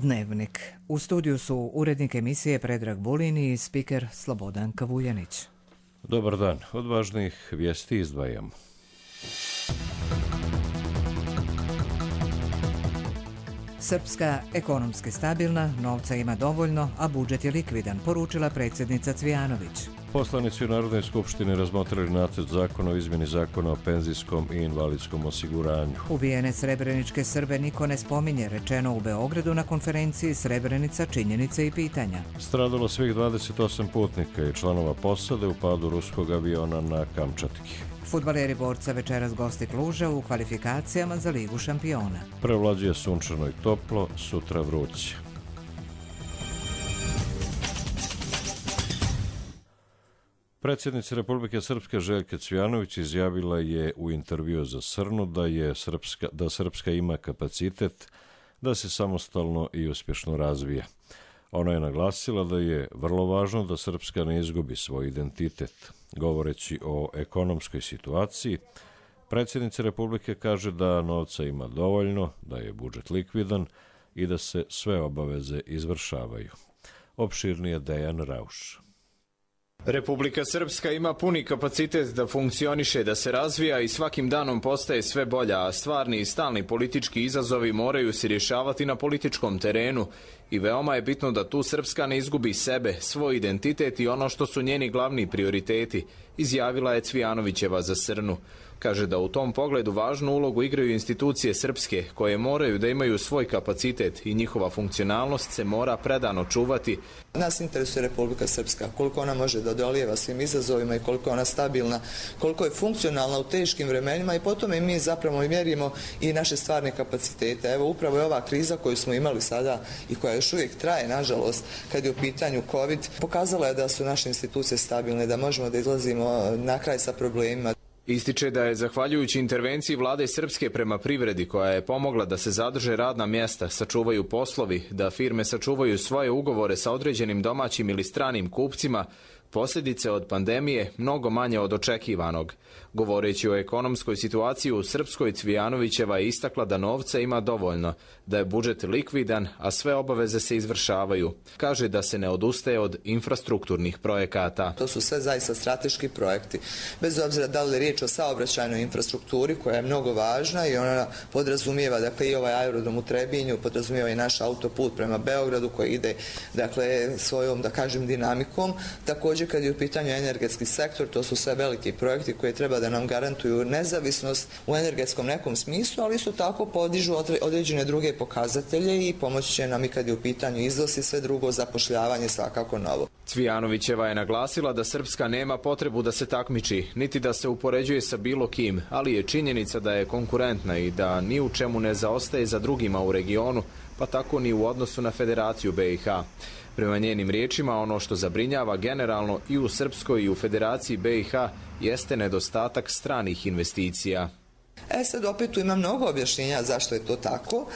Dnevnik. U studiju su urednik emisije Predrag Vulin i spiker Slobodan Kavuljanić. Dobar dan. Od važnijih vijesti izdvajamo. Srpska ekonomski stabilna, novca ima dovoljno, a budžet je likvidan, poručila predsjednica Cvijanović. Poslanici u Narodnoj skupštini razmotrili nacrt zakona o izmjeni zakona o penzijskom i invalidskom osiguranju. Ubijene srebreničke Srbe niko ne spominje, rečeno u Beogradu na konferenciji Srebrenica, činjenice i pitanja. Stradalo svih 28 putnika i članova posade u padu ruskog aviona na Kamčatki. Fudbaleri Borca večeras gosti Kluža u kvalifikacijama za Ligu šampiona. Prevlađuje sunčano i toplo, sutra vruće. Predsjednica Republike Srpske Željka Cvijanović izjavila je u intervjuu za Srnu da Srpska ima kapacitet da se samostalno i uspješno razvija. Ona je naglasila da je vrlo važno da Srpska ne izgubi svoj identitet. Govoreći o ekonomskoj situaciji, predsjednica Republike kaže da novca ima dovoljno, da je budžet likvidan i da se sve obaveze izvršavaju. Opširnije Dejan Rauš. Republika Srpska ima puni kapacitet da funkcioniše, da se razvija i svakim danom postaje sve bolja, a stvarni i stalni politički izazovi moraju se rješavati na političkom terenu i veoma je bitno da tu Srpska ne izgubi sebe, svoj identitet i ono što su njeni glavni prioriteti, izjavila je Cvijanovićeva za Srnu. Kaže da u tom pogledu važnu ulogu igraju institucije srpske, koje moraju da imaju svoj kapacitet i njihova funkcionalnost se mora predano čuvati. Nas interesuje Republika Srpska, koliko ona može da odolijeva svim izazovima i koliko je ona stabilna, koliko je funkcionalna u teškim vremenima i potom i mi zapravo mjerimo i naše stvarne kapacitete. Evo upravo je ova kriza koju smo imali sada i koja još uvijek traje, nažalost, kad je u pitanju COVID, pokazala je da su naše institucije stabilne, da možemo da izlazimo na kraj sa problemima. Ističe da je zahvaljujući intervenciji vlade Srpske prema privredi koja je pomogla da se zadrže radna mjesta, sačuvaju poslovi, da firme sačuvaju svoje ugovore sa određenim domaćim ili stranim kupcima, posljedice od pandemije mnogo manje od očekivanog. Govoreći o ekonomskoj situaciji u Srpskoj, Cvijanovićeva je istakla da novca ima dovoljno, da je budžet likvidan, a sve obaveze se izvršavaju. Kaže da se ne odustaje od infrastrukturnih projekata. To su sve zaista strateški projekti. Bez obzira da li je riječ o saobraćajnoj infrastrukturi koja je mnogo važna i ona podrazumijeva i ovaj aerodrom u Trebinju, podrazumijeva i naš autoput prema Beogradu koji ide svojom dinamikom. Također kad je u pitanju energetski sektor, to su sve veliki projekti koji treba da nam garantuju nezavisnost u energetskom nekom smislu, ali isto tako podižu određene druge pokazatelje i pomoći će nam i kad je u pitanju izvoz i sve drugo, zapošljavanje svakako novo. Cvijanovićeva je naglasila da Srpska nema potrebu da se takmiči, niti da se upoređuje sa bilo kim, ali je činjenica da je konkurentna i da ni u čemu ne zaostaje za drugima u regionu, pa tako ni u odnosu na Federaciju BiH. Prema njenim riječima, ono što zabrinjava generalno i u Srpskoj i u Federaciji BiH jeste nedostatak stranih investicija. Sad opet tu ima mnogo objašnjenja zašto je to tako.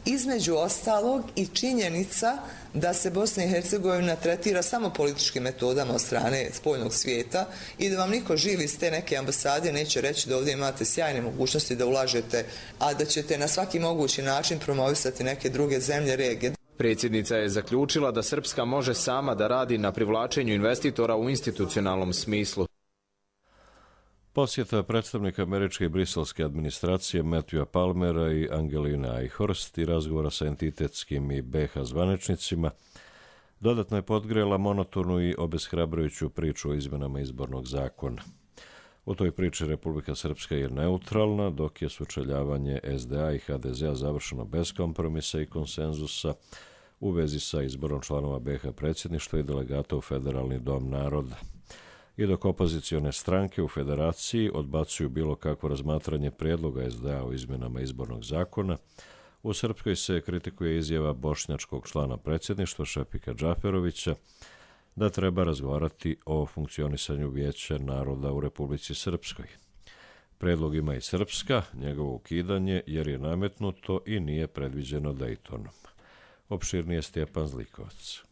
Između ostalog i činjenica da se Bosna i Hercegovina tretira samo političkim metodama od strane spoljnog svijeta i da vam niko živi iz te neke ambasade neće reći da ovdje imate sjajne mogućnosti da ulažete, a da ćete na svaki mogući način promovisati neke druge zemlje regije. Predsjednica je zaključila da Srpska može sama da radi na privlačenju investitora u institucionalnom smislu. Posjeta predstavnika američke i briselske administracije Matthewa Palmera i Angeline Eichhorst i razgovora sa entitetskim i BiH zvaničnicima dodatno je podgrela monotonu i obeshrabrujuću priču o izmenama izbornog zakona. U toj priči Republika Srpska je neutralna, dok je sučeljavanje SDA i HDZ-a završeno bez kompromisa i konsenzusa u vezi sa izborom članova BiH predsjedništva i delegata u Federalni dom naroda. I dok opozicione stranke u federaciji odbacuju bilo kakvo razmatranje prijedloga SDA o izmjenama izbornog zakona, u Srpskoj se kritikuje izjava bošnjačkog člana predsjedništva Šefika Džaferovića da treba razgovarati o funkcionisanju Vijeća naroda u Republici Srpskoj. Predlog ima i Srpska, njegovo ukidanje jer je nametnuto i nije predviđeno Dejtonom. Opširnije Stjepan Zlikovac.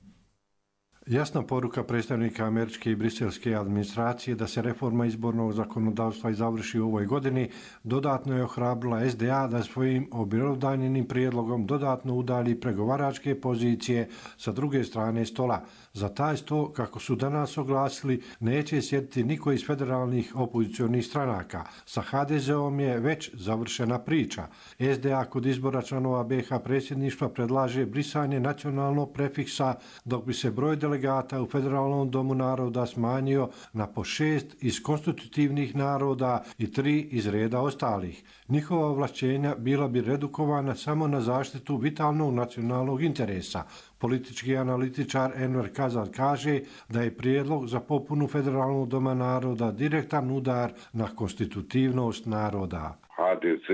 Jasna poruka predstavnika američke i briselske administracije da se reforma izbornog zakonodavstva i završi u ovoj godini dodatno je ohrabrila SDA da svojim objelodanjenim prijedlogom dodatno udalji pregovaračke pozicije sa druge strane stola. Za taj sto, kako su danas oglasili, neće sjediti niko iz federalnih opozicionih stranaka. Sa HDZ-om je već završena priča. SDA kod izbora članova BiH predsjedništva predlaže brisanje nacionalnog prefiksa, dok bi se broj delegata u Federalnom domu naroda smanjio na po 6 iz konstitutivnih naroda i 3 iz reda ostalih. Njihova ovlašćenja bila bi redukovana samo na zaštitu vitalnog nacionalnog interesa. Politički analitičar Enver Kazal kaže da je prijedlog za popunu Federalnog doma naroda direktan udar na konstitutivnost naroda. HDZ,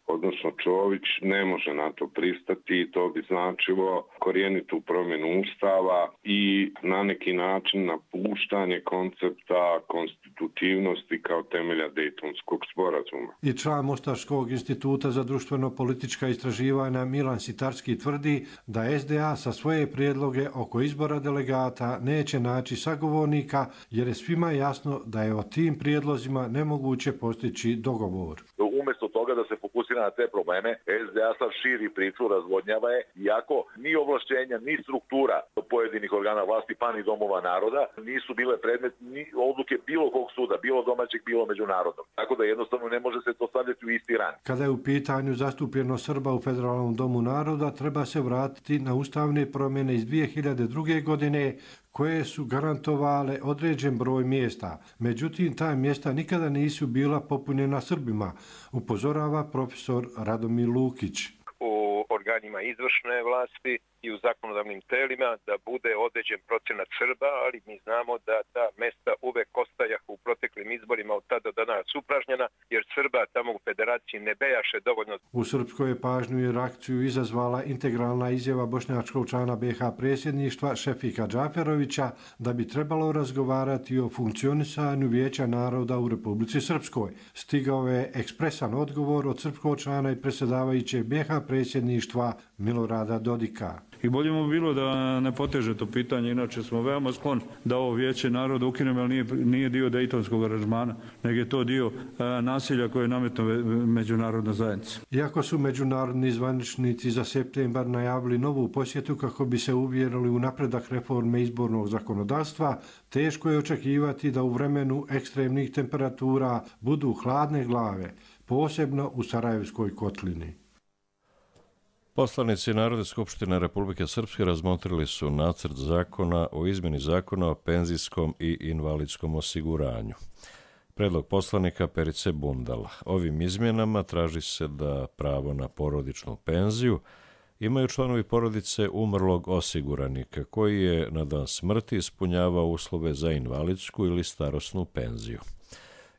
odnosno Čović, ne može na to pristati. To bi značilo korijenitu promjenu ustava i na neki način napuštanje koncepta konstitutivnosti kao temelja Dejtonskog sporazuma. I član Mostarskog instituta za društveno-politička istraživanja Milan Sitarski tvrdi da SDA sa svoje prijedloge oko izbora delegata neće naći sagovornika, jer je svima jasno da je o tim prijedlozima nemoguće postići dogovor. Umjesto toga da se fokusira na te probleme, SDA sad širi priču, razvodnjava je, iako ni ovlašćenja, ni struktura pojedinih organa vlasti, pa ni domova naroda, nisu bile predmet ni odluke bilo kog suda, bilo domaćeg, bilo međunarodnog. Tako da jednostavno ne može se to stavljati u isti ran. Kada je u pitanju zastupljenost Srba u Federalnom domu naroda, treba se vratiti na ustavne promjene iz 2002. godine, koje su garantovale određen broj mjesta. Međutim, ta mjesta nikada nisu bila popunjena Srbima, upozorava profesor Radomir Lukić. U organima izvršne vlasti i u zakonodavnim telima da bude određen procenat Srba, ali mi znamo da ta mesta uvek ostajahu u proteklim izborima od tada do danas upražnjena, jer Srba tamo u federaciji ne bejaše dovoljno. U Srpskoj je pažnju i reakciju izazvala integralna izjava bošnjačkog člana BiH predsjedništva Šefika Džaferovića da bi trebalo razgovarati o funkcionisanju Vijeća naroda u Republici Srpskoj. Stigao je ekspresan odgovor od srpskog člana i predsjedavajućeg BiH predsjedništva Milorada Dodika. I bolje mu bilo da ne poteže to pitanje, inače smo veoma skloni da ovo Vijeće naroda ukinemo, ali nije dio Dejtonskog aranžmana, nego je to dio nasilja koje je nametno međunarodna zajednica. Iako su međunarodni zvaničnici za septembar najavili novu posjetu kako bi se uvjerili u napredak reforme izbornog zakonodavstva, teško je očekivati da u vremenu ekstremnih temperatura budu hladne glave, posebno u Sarajevskoj kotlini. Poslanici Narodne skupštine Republike Srpske razmotrili su nacrt zakona o izmjeni zakona o penzijskom i invalidskom osiguranju. Predlog poslanika Perice Bundala. Ovim izmjenama traži se da pravo na porodičnu penziju imaju članovi porodice umrlog osiguranika koji je na dan smrti ispunjavao uslove za invalidsku ili starosnu penziju.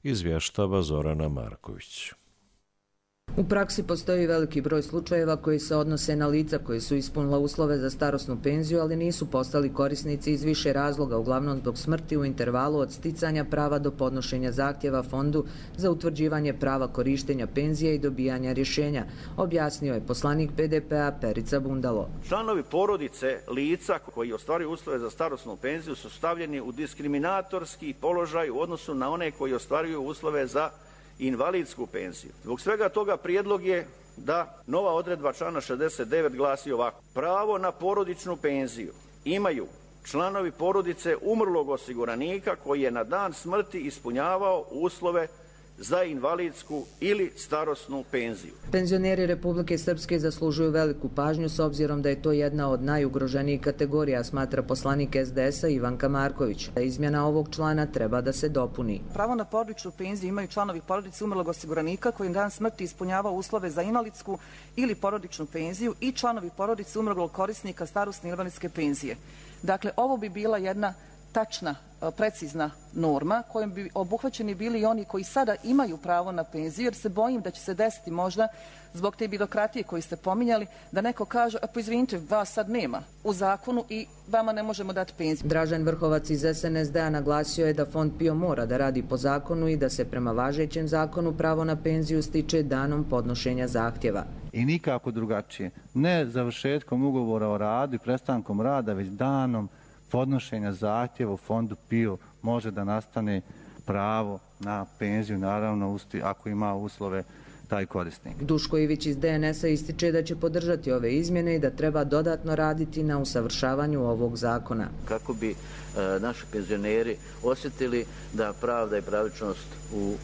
Izvještava Zorana Marković. U praksi postoji veliki broj slučajeva koji se odnose na lica koji su ispunila uslove za starosnu penziju, ali nisu postali korisnici iz više razloga, uglavnom zbog smrti u intervalu od sticanja prava do podnošenja zahtjeva fondu za utvrđivanje prava korištenja penzije i dobijanja rješenja, objasnio je poslanik PDP-a Perica Bundalo. Članovi porodice lica koji ostvaruju uslove za starosnu penziju su stavljeni u diskriminatorski položaj u odnosu na one koji ostvaruju uslove za invalidsku penziju. Zbog svega toga prijedlog je da nova odredba člana 69 glasi ovako. Pravo na porodičnu penziju imaju članovi porodice umrlog osiguranika koji je na dan smrti ispunjavao uslove za invalidsku ili starosnu penziju. Penzioneri Republike Srpske zaslužuju veliku pažnju s obzirom da je to jedna od najugroženijih kategorija, smatra poslanik SDS-a Ivanka Marković. Izmjena ovog člana treba da se dopuni. Pravo na porodičnu penziju imaju članovi porodice umrlog osiguranika koji na dan smrti ispunjava uslove za invalidsku ili porodičnu penziju i članovi porodice umrlog korisnika starosne i invalidske penzije. Dakle, ovo bi bila jedna tačna, precizna norma kojom bi obuhvaćeni bili i oni koji sada imaju pravo na penziju, jer se bojim da će se desiti možda zbog te birokratije koju ste pominjali, da neko kaže, a pa izvinite, vas sad nema u zakonu i vama ne možemo dati penziju. Dražen Vrhovac iz SNSD-a naglasio je da Fond PIO mora da radi po zakonu i da se prema važećem zakonu pravo na penziju stiče danom podnošenja zahtjeva. I nikako drugačije. Ne završetkom ugovora o radu i prestankom rada, već danom podnošenja zahtjeva u fondu PIO može da nastane pravo na penziju, naravno ako ima uslove taj korisnik. Duško Ivić iz DNS-a ističe da će podržati ove izmjene i da treba dodatno raditi na usavršavanju ovog zakona. Kako bi naši penzioneri osjetili da pravda i pravičnost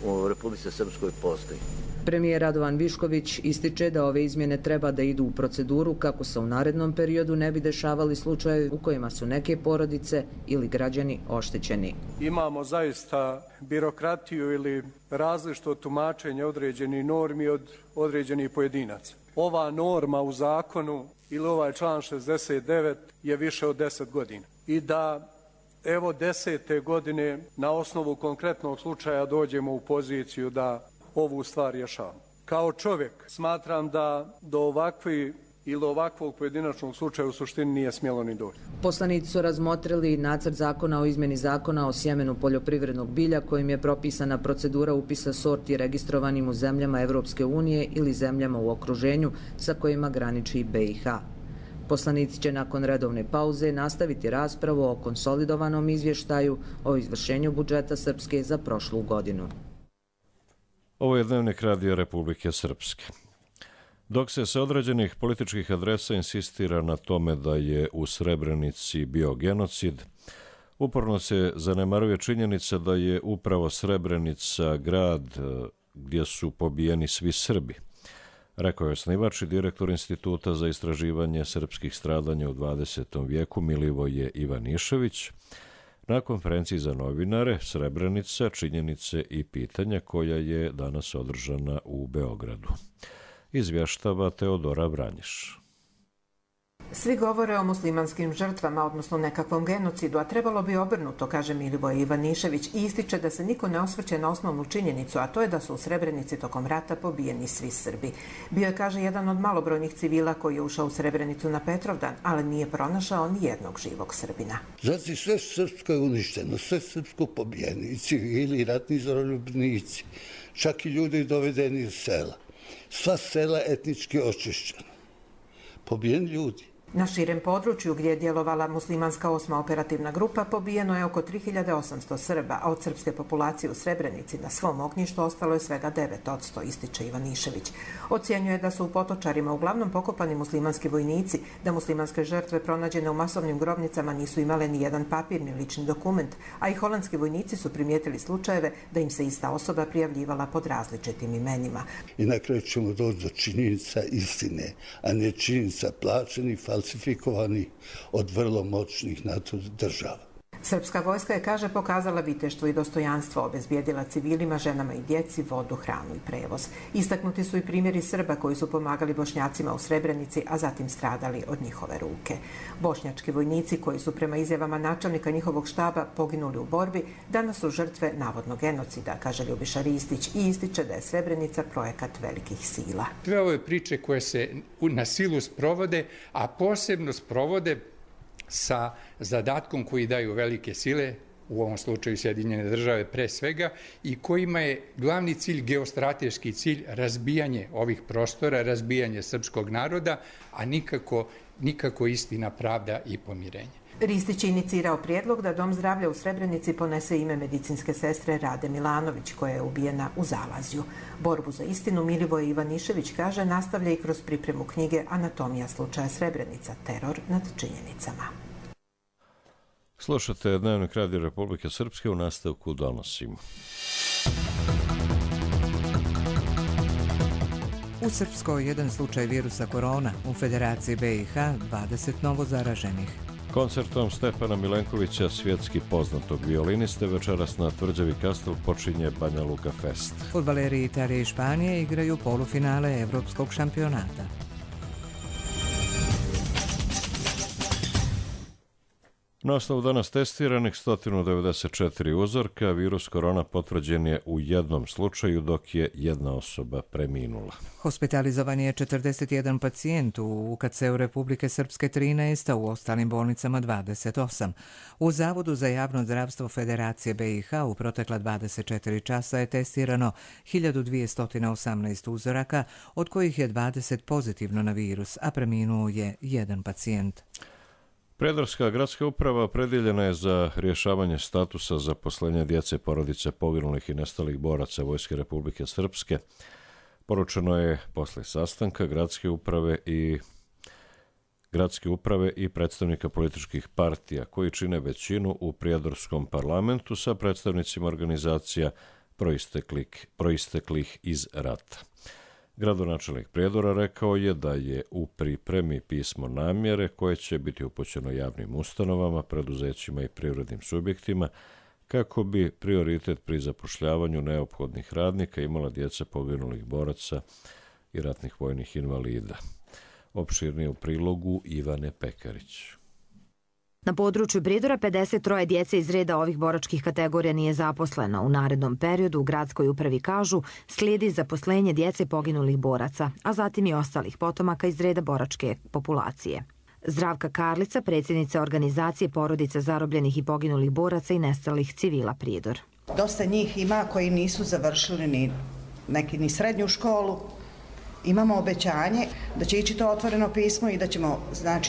u Republici Srpskoj postoji. Premijer Radovan Višković ističe da ove izmjene treba da idu u proceduru kako se u narednom periodu ne bi dešavali slučajevi u kojima su neke porodice ili građani oštećeni. Imamo zaista birokratiju ili različito tumačenje određenih normi od određenih pojedinaca. Ova norma u zakonu ili ovaj član 69 je više od 10 godina. I da evo 10. godine na osnovu konkretnog slučaja dođemo u poziciju da ovu stvar rješavamo. Kao čovjek smatram da do ovakvog pojedinačnog slučaja u suštini nije smjelo ni doći. Poslanici su razmotrili nacrt zakona o izmjeni zakona o sjemenu poljoprivrednog bilja kojim je propisana procedura upisa sorti registrovanim u zemljama Evropske unije ili zemljama u okruženju sa kojima graniči BiH. Poslanici će nakon redovne pauze nastaviti raspravu o konsolidovanom izvještaju o izvršenju budžeta Srpske za prošlu godinu. Ovo je Dnevnik Radija Republike Srpske. Dok se sa određenih političkih adresa insistira na tome da je u Srebrenici bio genocid, uporno se zanemaruje činjenica da je upravo Srebrenica grad gdje su pobijeni svi Srbi, rekao je osnivač i direktor Instituta za istraživanje srpskih stradanja u 20. vijeku Milivoje Ivanišević na konferenciji za novinare Srebrenica, činjenice i pitanja koja je danas održana u Beogradu. Izvještava Teodora Vranješ. Svi govore o muslimanskim žrtvama, odnosno nekakvom genocidu, a trebalo bi obrnuto, kaže Milivoje Ivanišević i ističe da se niko ne osvrće na osnovnu činjenicu, a to je da su u Srebrenici tokom rata pobijeni svi Srbi. Bio je, kaže, jedan od malobrojnih civila koji je ušao u Srebrenicu na Petrovdan, ali nije pronašao ni jednog živog Srbina. Znači sve srpsko je uništeno, sve srpsko pobijeni, i civili, i ratni zarobljenici, čak i ljudi dovedeni iz sela. Sva sela etnički očišćena. Pobijeni ljudi. Na širem području gdje je djelovala muslimanska 8. operativna grupa pobijeno je oko 3800 Srba, a od srpske populacije u Srebrenici na svom ognjištu ostalo je svega 9%, ističe Ivanišević. Ocjenjuje da su u Potočarima uglavnom pokopani muslimanski vojnici, da muslimanske žrtve pronađene u masovnim grobnicama nisu imale ni jedan papir ni lični dokument, a i holandski vojnici su primijetili slučajeve da im se ista osoba prijavljivala pod različitim imenima. I na kraju ćemo doći do činjenica istine, a ne činjenica plaćenih, falsifikovani od vrlo moćnih NATO država. Srpska vojska je, kaže, pokazala viteštvo i dostojanstvo, obezbijedila civilima, ženama i djeci vodu, hranu i prevoz. Istaknuti su i primjeri Srba koji su pomagali Bošnjacima u Srebrenici, a zatim stradali od njihove ruke. Bošnjački vojnici koji su prema izjavama načelnika njihovog štaba poginuli u borbi, danas su žrtve navodnog genocida, kaže Ljubiša Ristić i ističe da je Srebrenica projekat velikih sila. Sve ove priče koje se na silu sprovode, a posebno sprovode sa zadatkom koji daju velike sile, u ovom slučaju Sjedinjene države pre svega, i kojima je glavni cilj, geostrateški cilj, razbijanje ovih prostora, razbijanje srpskog naroda, a nikako istina, pravda i pomirenje. Ristić je inicirao prijedlog da Dom zdravlja u Srebrenici ponese ime medicinske sestre Rade Milanović, koja je ubijena u Zalazju. Borbu za istinu Milivoje Ivanišević, kaže, nastavlja i kroz pripremu knjige Anatomija slučaja Srebrenica, teror nad činjenicama. Slušate Dnevnik Radija Republike Srpske, u nastavku donosimo. U Srpskoj jedan slučaj virusa korona, u Federaciji BiH 20 novo zaraženih. Koncertom Stefana Milenkovića, svjetski poznatog violiniste, večeras na Tvrđavi Kastel počinje Banja Luka Fest. Fudbaleri Italije i Španije igraju polufinale Evropskog šampionata. Na osnovu danas testiranih 194 uzorka, virus korona potvrđen je u jednom slučaju, dok je jedna osoba preminula. Hospitalizovan je 41 pacijent, u UKC-u Republike Srpske 13, a u ostalim bolnicama 28. U Zavodu za javno zdravstvo Federacije BiH u protekla 24 časa je testirano 1218 uzoraka, od kojih je 20 pozitivno na virus, a preminuo je jedan pacijent. Prijedorska gradska uprava opredjeljena je za rješavanje statusa zaposlenja djece porodice poginulih i nestalih boraca Vojske Republike Srpske. Poručeno je posle sastanka gradske uprave i predstavnika političkih partija koji čine većinu u Prijedorskom parlamentu sa predstavnicima organizacija proisteklih iz rata. Gradonačelnik Prijedora rekao je da je u pripremi pismo namjere koje će biti upućeno javnim ustanovama, preduzećima i privrednim subjektima kako bi prioritet pri zapošljavanju neophodnih radnika imala djeca poginulih boraca i ratnih vojnih invalida. Opširnije u prilogu Ivane Pekarić. Na području Prijedora 53 djece iz reda ovih boračkih kategorija nije zaposleno. U narednom periodu u gradskoj upravi kažu slijedi zaposlenje djece poginulih boraca, a zatim i ostalih potomaka iz reda boračke populacije. Zdravka Karlica, predsjednica organizacije porodica zarobljenih i poginulih boraca i nestalih civila Prijedor. Dosta njih ima koji nisu završili ni srednju školu. Imamo obećanje da će ići to otvoreno pismo i da ćemo,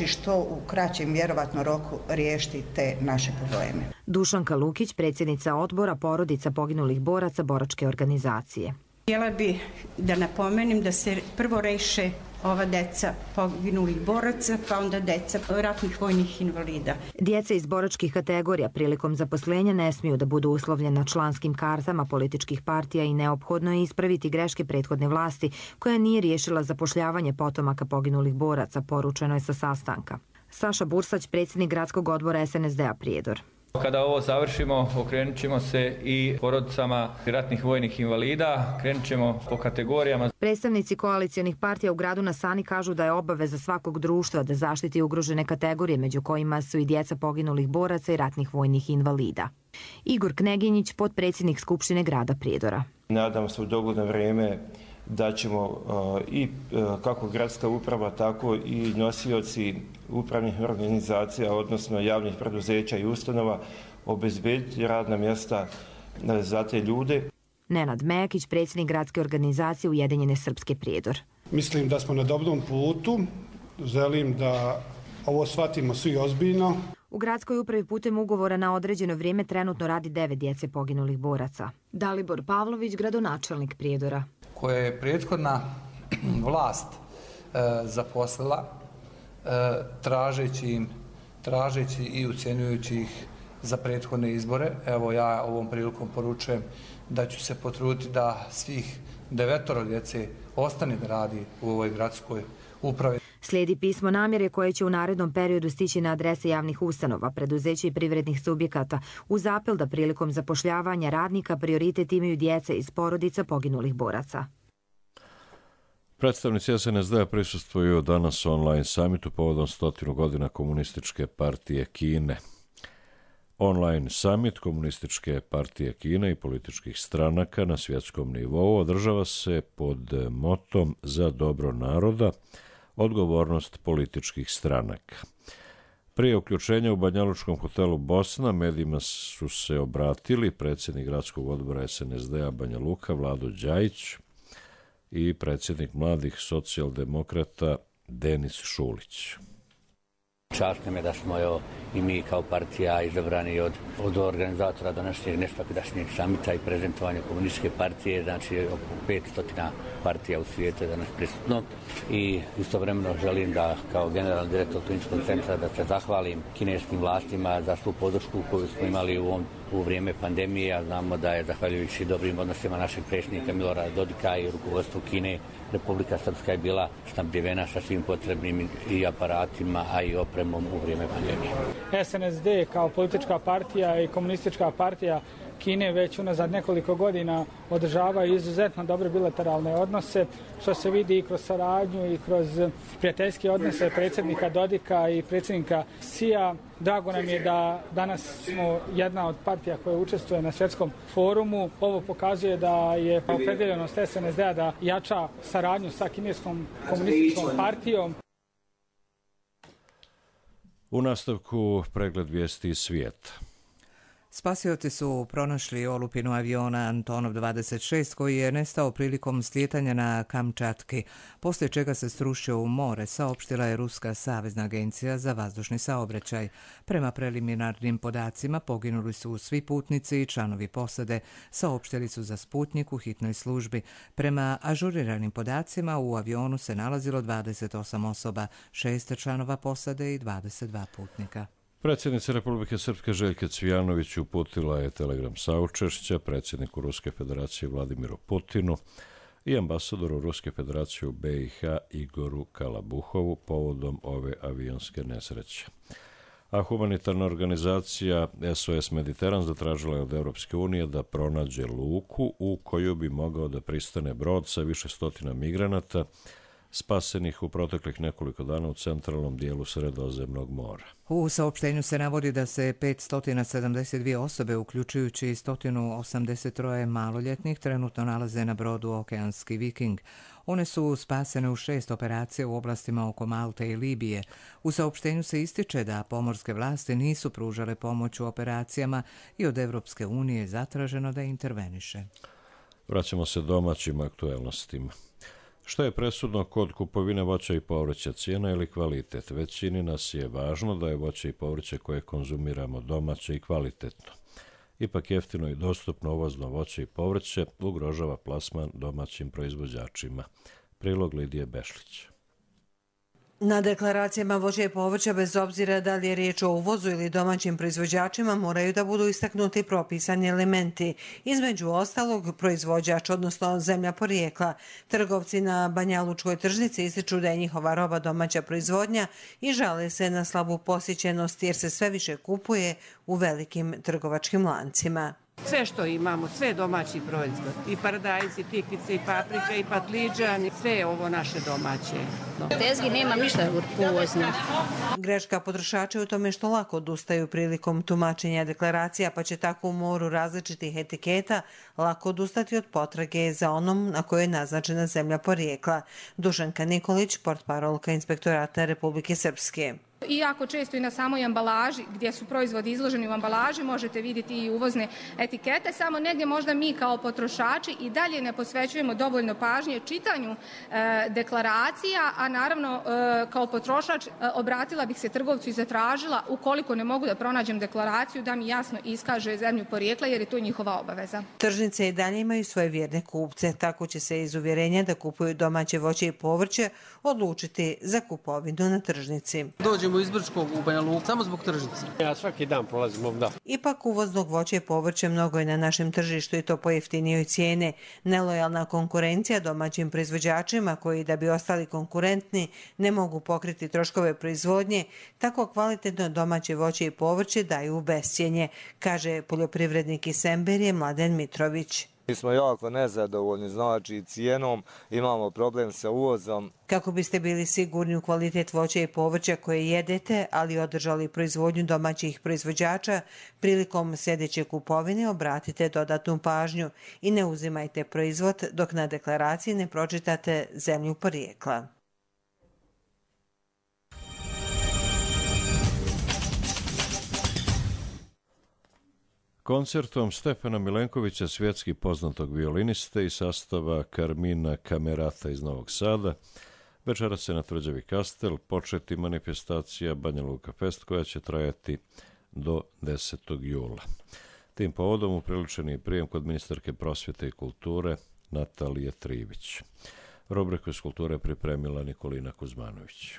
što u kraćem vjerovatno roku riješiti te naše probleme. Dušanka Lukić, predsjednica odbora porodica poginulih boraca boračke organizacije. Htjela bih da napomenem da se prvo reše ova deca poginulih boraca, pa onda deca ratnih vojnih invalida. Djeca iz boračkih kategorija prilikom zaposlenja ne smiju da budu uslovljena članskim kartama političkih partija i neophodno je ispraviti greške prethodne vlasti koja nije riješila zapošljavanje potomaka poginulih boraca, poručeno je sa sastanka. Saša Bursać, predsjednik gradskog odbora SNSD-a Prijedor. Kada ovo završimo, okrenut ćemo se i porodicama ratnih vojnih invalida, krenut ćemo po kategorijama. Predstavnici koalicijonih partija u gradu na Sani kažu da je obaveza svakog društva da zaštiti ugrožene kategorije, među kojima su i djeca poginulih boraca i ratnih vojnih invalida. Igor Kneginjić, potpredsjednik Skupštine grada Prijedora. Nadam se u dogledno vrijeme da ćemo i kako gradska uprava, tako i nosioci upravnih organizacija, odnosno javnih preduzeća i ustanova, obezbediti radna mjesta za te ljude. Nenad Mejakić, predsjednik gradske organizacije Ujedinjene Srpske Prijedor. Mislim da smo na dobrom putu. Želim da ovo shvatimo svi ozbiljno. U gradskoj upravi putem ugovora na određeno vrijeme trenutno radi 9 djece poginulih boraca. Dalibor Pavlović, gradonačelnik Prijedora. Koje je prethodna vlast zaposlila tražeći i ucjenjujući ih za prethodne izbore. Evo ja ovom prilikom poručujem da ću se potruditi da svih 9 djece ostane da radi u ovoj gradskoj upravi. Slijedi pismo namjere koje će u narednom periodu stići na adrese javnih ustanova, preduzeća i privrednih subjekata uz apel da prilikom zapošljavanja radnika prioritet imaju djece iz porodica poginulih boraca. Predstavnici SNSD-a prisustvuju danas online samitu povodom 100 godina Komunističke partije Kine. Online summit Komunističke partije Kine i političkih stranaka na svjetskom nivou održava se pod motom za dobro naroda, odgovornost političkih stranaka. Prije uključenja u Banjalučkom hotelu Bosna medijima su se obratili predsjednik gradskog odbora SNSD-a Banja Luka Vlado Đajić i predsjednik mladih socijaldemokrata Denis Šulić. Čast nam je da smo i mi kao partija izabrani od organizatora današnjeg nesvakidašnjeg samita i prezentovanja komunističke partije, znači oko 500 partija u svijetu je danas prisutno i istovremeno želim da kao generalni direktor kliničkog centra da se zahvalim kineskim vlastima za svu podršku koju smo imali u vrijeme pandemije, a znamo da je zahvaljujući dobrim odnosima našeg predsjednika Milorada Dodika i rukovodstvu Kine, Republika Srpska je bila snabdjevena sa svim potrebnim i aparatima, a i opremom u vrijeme pandemije. SNSD kao politička partija i komunistička partija Kine već unazad nekoliko godina održavaju izuzetno dobre bilateralne odnose, što se vidi i kroz saradnju i kroz prijateljske odnose predsjednika Dodika i predsjednika Xija. Drago nam je da danas smo jedna od partija koja učestvuje na svjetskom forumu. Ovo pokazuje da je opredjeljenost SNSD-a da jača saradnju sa kineskom komunističkom partijom. U nastavku pregled vijesti iz svijeta. Spasioci su pronašli olupinu aviona Antonov 26 koji je nestao prilikom slijetanja na Kamčatki, poslije čega se srušio u more, saopštila je Ruska savezna agencija za vazdušni saobraćaj. Prema preliminarnim podacima poginuli su svi putnici i članovi posade, saopštili su za Sputnik u hitnoj službi. Prema ažuriranim podacima u avionu se nalazilo 28 osoba, 6 članova posade i 22 putnika. Predsjednica Republike Srpske Željka Cvijanović uputila je telegram saučešća predsjedniku Ruske federacije Vladimiru Putinu i ambasadoru Ruske federacije u BiH Igoru Kalabuhovu povodom ove avionske nesreće. A humanitarna organizacija SOS Mediteran zatražila je od Europske unije da pronađe luku u koju bi mogao da pristane brod sa više stotina migranata spasenih u proteklih nekoliko dana u centralnom dijelu Sredozemnog mora. U saopštenju se navodi da se 572 osobe, uključujući 183 maloljetnih, trenutno nalaze na brodu Okeanski Viking. One su spasene u 6 operacija u oblastima oko Malte i Libije. U saopštenju se ističe da pomorske vlasti nisu pružale pomoć u operacijama i od Evropske unije zatraženo da interveniše. Vraćamo se domaćim aktuelnostima. Što je presudno kod kupovine voća i povrća, cijena ili kvalitet? Većini nas je važno da je voće i povrće koje konzumiramo domaće i kvalitetno. Ipak jeftino i dostupno uvozno voće i povrće ugrožava plasman domaćim proizvođačima. Prilog Lidije Bešlić. Na deklaracijama voća i povrća, bez obzira da li je riječ o uvozu ili domaćim proizvođačima, moraju da budu istaknuti propisani elementi. Između ostalog, proizvođač, odnosno zemlja porijekla. Trgovci na Banjalučkoj tržnici ističu da je njihova roba domaća proizvodnja i žale se na slabu posjećenost jer se sve više kupuje u velikim trgovačkim lancima. Sve što imamo, sve domaći proizvod. I paradajz, i tikvice, i paprika, i patliđan, sve je ovo naše domaće. Tezgi nema ništa uvozno. Greška potrošača je u tome što lako odustaju prilikom tumačenja deklaracija, pa će tako u moru različitih etiketa lako odustati od potrage za onom na kojoj je naznačena zemlja porijekla. Dušanka Nikolić, portparolka Inspektorata Republike Srpske. Iako često i na samoj ambalaži, gdje su proizvodi izloženi u ambalaži, možete vidjeti i uvozne etikete, samo negdje možda mi kao potrošači i dalje ne posvećujemo dovoljno pažnje čitanju deklaracija, a naravno kao potrošač obratila bih se trgovcu i zatražila, ukoliko ne mogu da pronađem deklaraciju, da mi jasno iskaže zemlju porijekla, jer je to njihova obaveza. Tržnice i dalje imaju svoje vjerne kupce, tako će se iz uvjerenja da kupuju domaće voće i povrće odlučiti za kupovinu na tržnici. Dođemo iz Brčkog u Banja Luku, samo zbog tržnice. Ja svaki dan prolazim ovdje. Ipak uvoznog voća i povrća mnogo je na našem tržištu i to po jeftinijoj cijene. Nelojalna konkurencija domaćim proizvođačima koji da bi ostali konkurentni ne mogu pokriti troškove proizvodnje, tako kvalitetno domaće voće i povrće daju u bescjenje, kaže poljoprivrednik iz Semberije Mladen Mitrović. Mi smo jako nezadovoljni, znači cijenom, imamo problem sa uvozom. Kako biste bili sigurni u kvalitet voća i povrća koje jedete, ali održali proizvodnju domaćih proizvođača, prilikom sljedeće kupovine obratite dodatnu pažnju i ne uzimajte proizvod dok na deklaraciji ne pročitate zemlju porijekla. Koncertom Stefana Milenkovića, svjetski poznatog violiniste i sastava Carmina Camerata iz Novog Sada, večeras se na Tvrđavi Kastel početi manifestacija Banja Luka Fest koja će trajati do 10. jula. Tim povodom upriličen je prijem kod ministarke prosvjete i kulture Natalije Trivić. Rubriku iz kulture pripremila Nikolina Kuzmanović.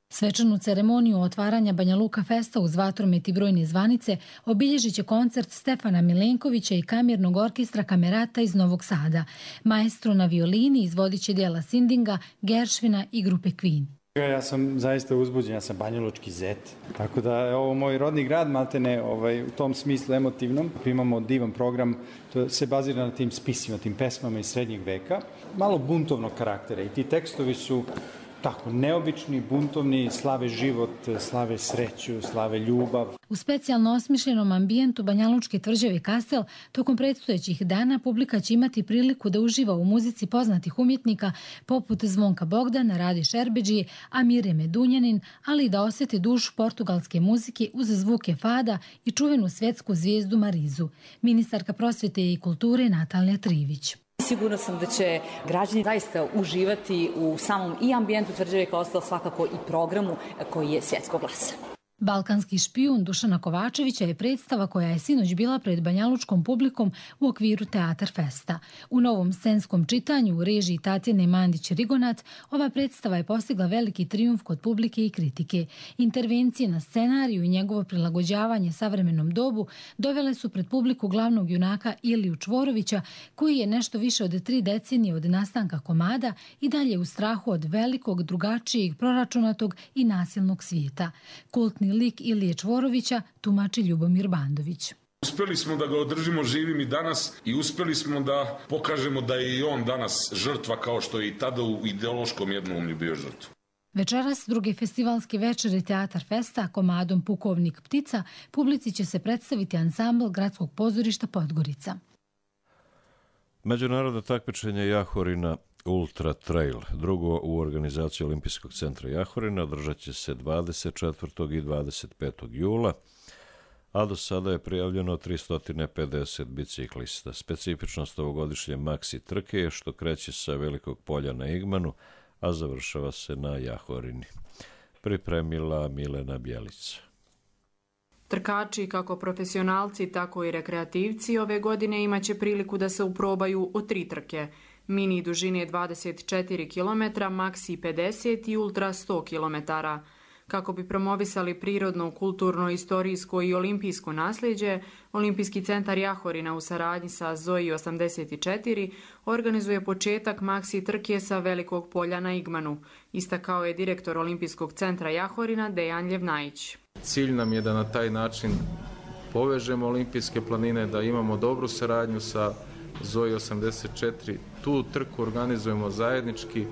Svečanu ceremoniju otvaranja Banja Luka Festa uz vatromet i brojne zvanice obilježit će koncert Stefana Milenkovića i kamernog orkestra Camerata iz Novog Sada. Maestro na violini izvodit će djela Sindinga, Gershvina i grupe Queen. Ja sam zaista uzbuđen, ja sam banjalučki zet, tako da je ovo moj rodni grad, maltene u tom smislu emotivnom. Imamo divan program, to se bazira na tim spisima, tim pesmama iz srednjeg veka, malo buntovnog karaktera i ti tekstovi su tako neobični, buntovni, slave život, slave sreću, slave ljubav. U specijalno osmišljenom ambijentu Banjalučke tvrđave Kastel tokom predstojećih dana publika će imati priliku da uživa u muzici poznatih umjetnika poput Zvonka Bogdana, Rade Šerbedžije, Amire Medunjanin, ali i da osjeti dušu portugalske muzike uz zvuke fada i čuvenu svjetsku zvijezdu Marizu. Ministarka prosvjete i kulture Natalija Trivić. Sigurno sam da će građani zaista uživati u samom i ambijentu tvrđave Kastel, svakako i programu koji je svjetskog glasa. Balkanski špijun Dušana Kovačevića je predstava koja je sinoć bila pred banjalučkom publikom u okviru Teatar Festa. U novom scenskom čitanju u režiji Tatjane Mandić-Rigonat ova predstava je postigla veliki trijumf kod publike i kritike. Intervencije na scenariju i njegovo prilagođavanje savremenom dobu dovele su pred publiku glavnog junaka Iliju Čvorovića, koji je nešto više od 3 decenije od nastanka komada i dalje u strahu od velikog, drugačijeg, proračunatog i nasilnog svijeta. Kultni lik Ilije Čvorovića tumači Ljubomir Bandović. Uspjeli smo da ga održimo živim i danas i uspjeli smo da pokažemo da je i on danas žrtva kao što je i tada u ideološkom jednoumlju bio žrtva. Večeras, druge festivalske večeri Teatar Festa komadom Pukovnik ptica, publici će se predstaviti ansambl Gradskog pozorišta Podgorica. Međunarodno takmičenje Jahorina Ultra Trail, drugo u organizaciji Olimpijskog centra Jahorina, održat će se 24. i 25. jula, a do sada je prijavljeno 350 biciklista. Specifičnost ovogodišnje maksi trke je što kreće sa Velikog polja na Igmanu, a završava se na Jahorini. Pripremila Milena Bjelica. Trkači, kako profesionalci, tako i rekreativci, ove godine imaće priliku da se uprobaju u 3 trke. Mini dužine 24 km, maksi 50 i ultra 100 km. Kako bi promovisali prirodno, kulturno, istorijsko i olimpijsko nasljeđe, Olimpijski centar Jahorina u saradnji sa Zoji 84 organizuje početak maksi trke sa Velikog polja na Igmanu, istakao je direktor Olimpijskog centra Jahorina Dejan Ljevnajić. Cilj nam je da na taj način povežemo olimpijske planine, da imamo dobru saradnju sa Zoji 84. Tu trku organizujemo zajednički.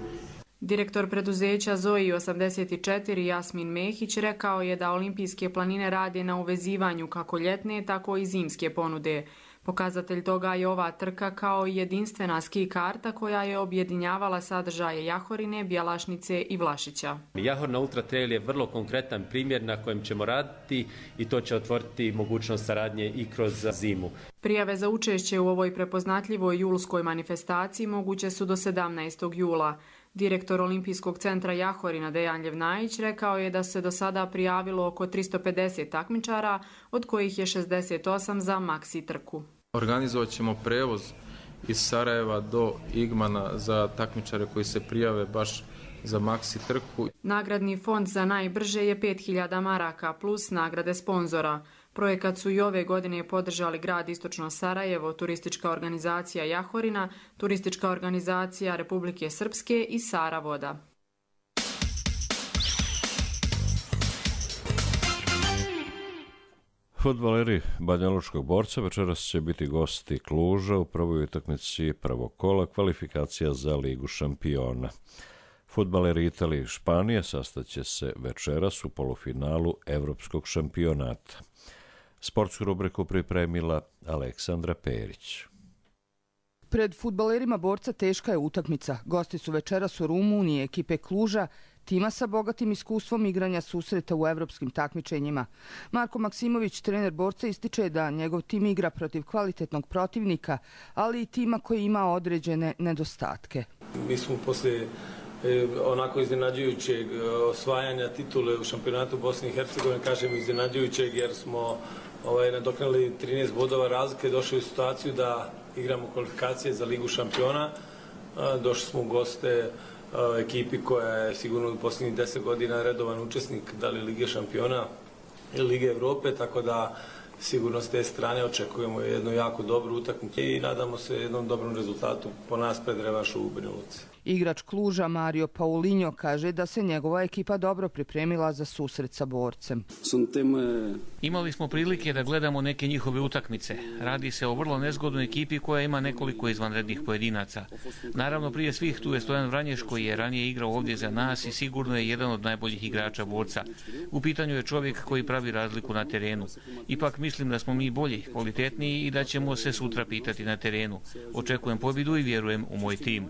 Direktor preduzeća Zoji 84 Jasmin Mehić rekao je da olimpijske planine rade na uvezivanju kako ljetne, tako i zimske ponude. Pokazatelj toga je ova trka kao jedinstvena ski karta koja je objedinjavala sadržaje Jahorine, Bjelašnice i Vlašića. Jahorina Ultra Trail je vrlo konkretan primjer na kojem ćemo raditi i to će otvoriti mogućnost saradnje i kroz zimu. Prijave za učešće u ovoj prepoznatljivoj julskoj manifestaciji moguće su do 17. jula. Direktor Olimpijskog centra Jahorina Dejan Ljevnajić rekao je da se do sada prijavilo oko 350 takmičara, od kojih je 68 za maksi trku. Organizovat ćemo prevoz iz Sarajeva do Igmana za takmičare koji se prijave baš za maksi trku. Nagradni fond za najbrže je 5000 maraka plus nagrade sponzora. Projekat su i ove godine podržali grad Istočno Sarajevo, turistička organizacija Jahorina, turistička organizacija Republike Srpske i Sara Voda. Fudbaleri Banjalučkog Borca večeras će biti gosti Kluža u prvoj utakmici prvog kola kvalifikacija za Ligu šampiona. Fudbaleri Italije i Španije sastaće se večeras u polufinalu Evropskog šampionata. Sportsku rubriku pripremila Aleksandra Perić. Pred fudbalerima Borca teška je utakmica. Gosti su večeras u Rumuniji ekipe Kluža, tima sa bogatim iskustvom igranja susreta u evropskim takmičenjima. Marko Maksimović, trener Borca, ističe da njegov tim igra protiv kvalitetnog protivnika, ali i tima koji ima određene nedostatke. Mi smo poslije onako iznenađujućeg osvajanja titule u šampionatu Bosne i Hercegovine, kažem iznenađujućeg jer smo nadoknali 13 bodova razlike, došli u situaciju da igramo kvalifikacije za Ligu šampiona. Došli smo u goste ekipi koja je sigurno u posljednjih 10 godina redovan učesnik da li Lige šampiona ili Lige Evrope, tako da sigurno s te strane očekujemo jednu jako dobru utakmicu i nadamo se jednom dobrom rezultatu po nas pred revanšu u Banja Luci. Igrač Kluža Mario Paulinho kaže da se njegova ekipa dobro pripremila za susret sa borcem. Imali smo prilike da gledamo neke njihove utakmice. Radi se o vrlo nezgodnoj ekipi koja ima nekoliko izvanrednih pojedinaca. Naravno, prije svih tu je Stojan Vranješ koji je ranije igrao ovdje za nas i sigurno je jedan od najboljih igrača borca. U pitanju je čovjek koji pravi razliku na terenu. Ipak mislim da smo mi bolji, kvalitetniji i da ćemo se sutra pitati na terenu. Očekujem pobjedu i vjerujem u moj tim.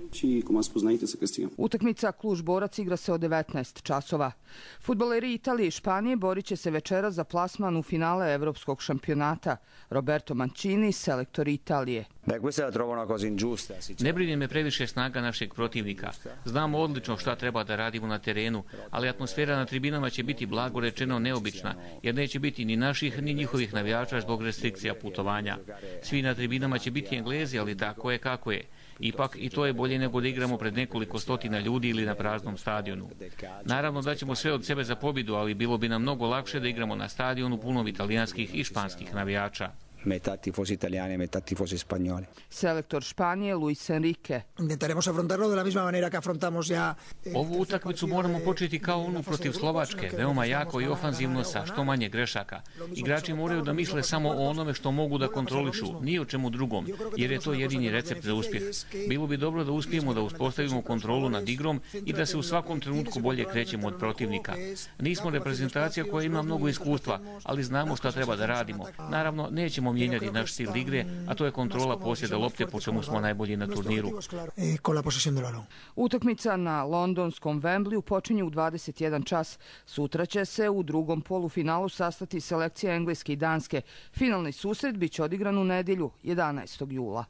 Utakmica Kluž-Borac igra se od 19 časova. Fudbaleri Italije i Španije borit će se večera za plasman u finale evropskog šampionata. Roberto Mancini, selektor Italije. Ne brine me previše snaga našeg protivnika. Znamo odlično šta treba da radimo na terenu, ali atmosfera na tribinama će biti blago rečeno neobična, jer neće biti ni naših ni njihovih navijača zbog restrikcija putovanja. Svi na tribinama će biti Englezi, ali tako je kako je. Ipak i to je bolje nego da igramo pred nekoliko stotina ljudi ili na praznom stadionu. Naravno da ćemo sve od sebe za pobjedu, ali bilo bi nam mnogo lakše da igramo na stadionu punom italijanskih i španskih navijača. Metà tifosi italiani e metà tifosi spagnoli. Selektor Španije Luis Enrique. Intentaremos afrontarlo de la misma manera que afrontamos ya. Ovu utakmicu moramo početi kao onu protiv Slovačke, veoma jako i ofanzivno sa što manje grešaka. Igrači moraju da misle samo o onome što mogu da kontrolišu, ni o čemu drugom, jer je to jedini recept za uspjeh. Bilo bi dobro da uspijemo da uspostavimo kontrolu nad igrom i da se u svakom trenutku bolje krećemo od protivnika. Nismo reprezentacija koja ima mnogo iskustva, ali znamo šta treba da radimo. Naravno, nećemo mijenjati naš stil igre, a to je kontrola posjeda lopte, po čemu smo najbolji na turniru. Utakmica na londonskom Wembleyu počinje u 21 čas. Sutra će se u drugom polufinalu sastati selekcija Engleske i Danske. Finalni susret biće odigran u nedjelju, 11. jula.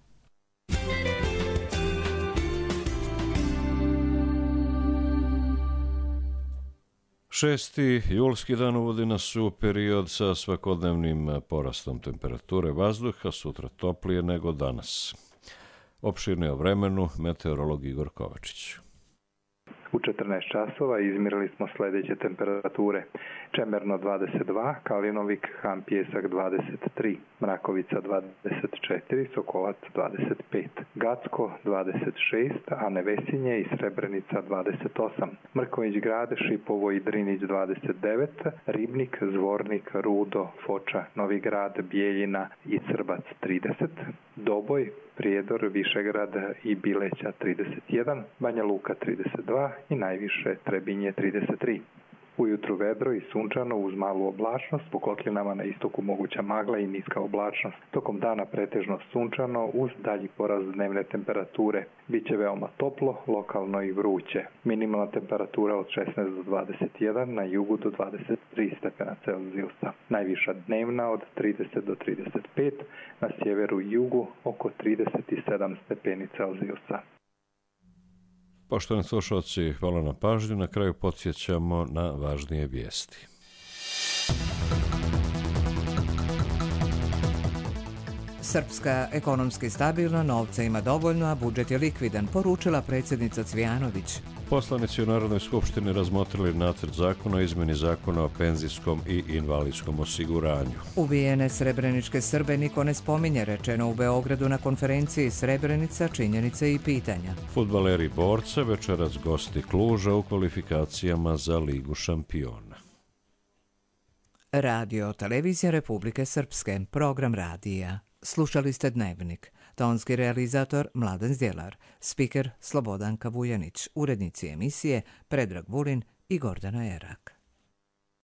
Šesti julski dan uvodi nas u period sa svakodnevnim porastom temperature vazduha, sutra toplije nego danas. Opširnije o vremenu, meteorolog Igor Kovačić. U 14 časova izmjerili smo sljedeće temperature. Čemerno 22, Kalinovik, Han Pjesak 23, Mrakovica 24, Sokolac 25, Gacko 26, a Nevesinje i Srebrenica 28, Mrković Grad, Šipovo i Drinić 29, Ribnik, Zvornik, Rudo, Foča, Novi Grad, Bijeljina i Crbac 30, Doboj, Prijedor, Višegrad i Bileća 31, Banja Luka 32 i najviše Trebinje 33. Ujutru vedro i sunčano uz malu oblačnost, po kotlinama na istoku moguća magla i niska oblačnost. Tokom dana pretežno sunčano uz dalji porast dnevne temperature. Biće veoma toplo, lokalno i vruće. Minimalna temperatura od 16 do 21, na jugu do 23 stepena Celzijusa. Najviša dnevna od 30 do 35, na sjeveru i jugu oko 37 stepeni Celzijusa. Poštovani slušalci, hvala na pažnju. Na kraju podsjećamo na važnije vijesti. Srpska ekonomski stabilna, novca ima dovoljno, a budžet je likvidan, poručila predsjednica Cvijanović. Poslanici u Narodnoj skupštini razmotrili nacrt zakona o izmjeni zakona o penzijskom i invalidskom osiguranju. Ubijene srebreničke Srbe niko ne spominje, rečeno u Beogradu na konferenciji Srebrenica, činjenice i pitanja. Fudbaleri Borca večeras gosti Kluža u kvalifikacijama za Ligu šampiona. Radio Televizija Republike Srpske, program radija. Slušali ste Dnevnik. Tonski realizator Mladen Zdjelar, spiker Slobodanka Vujanić, urednici emisije Predrag Vulin i Gordana Erak.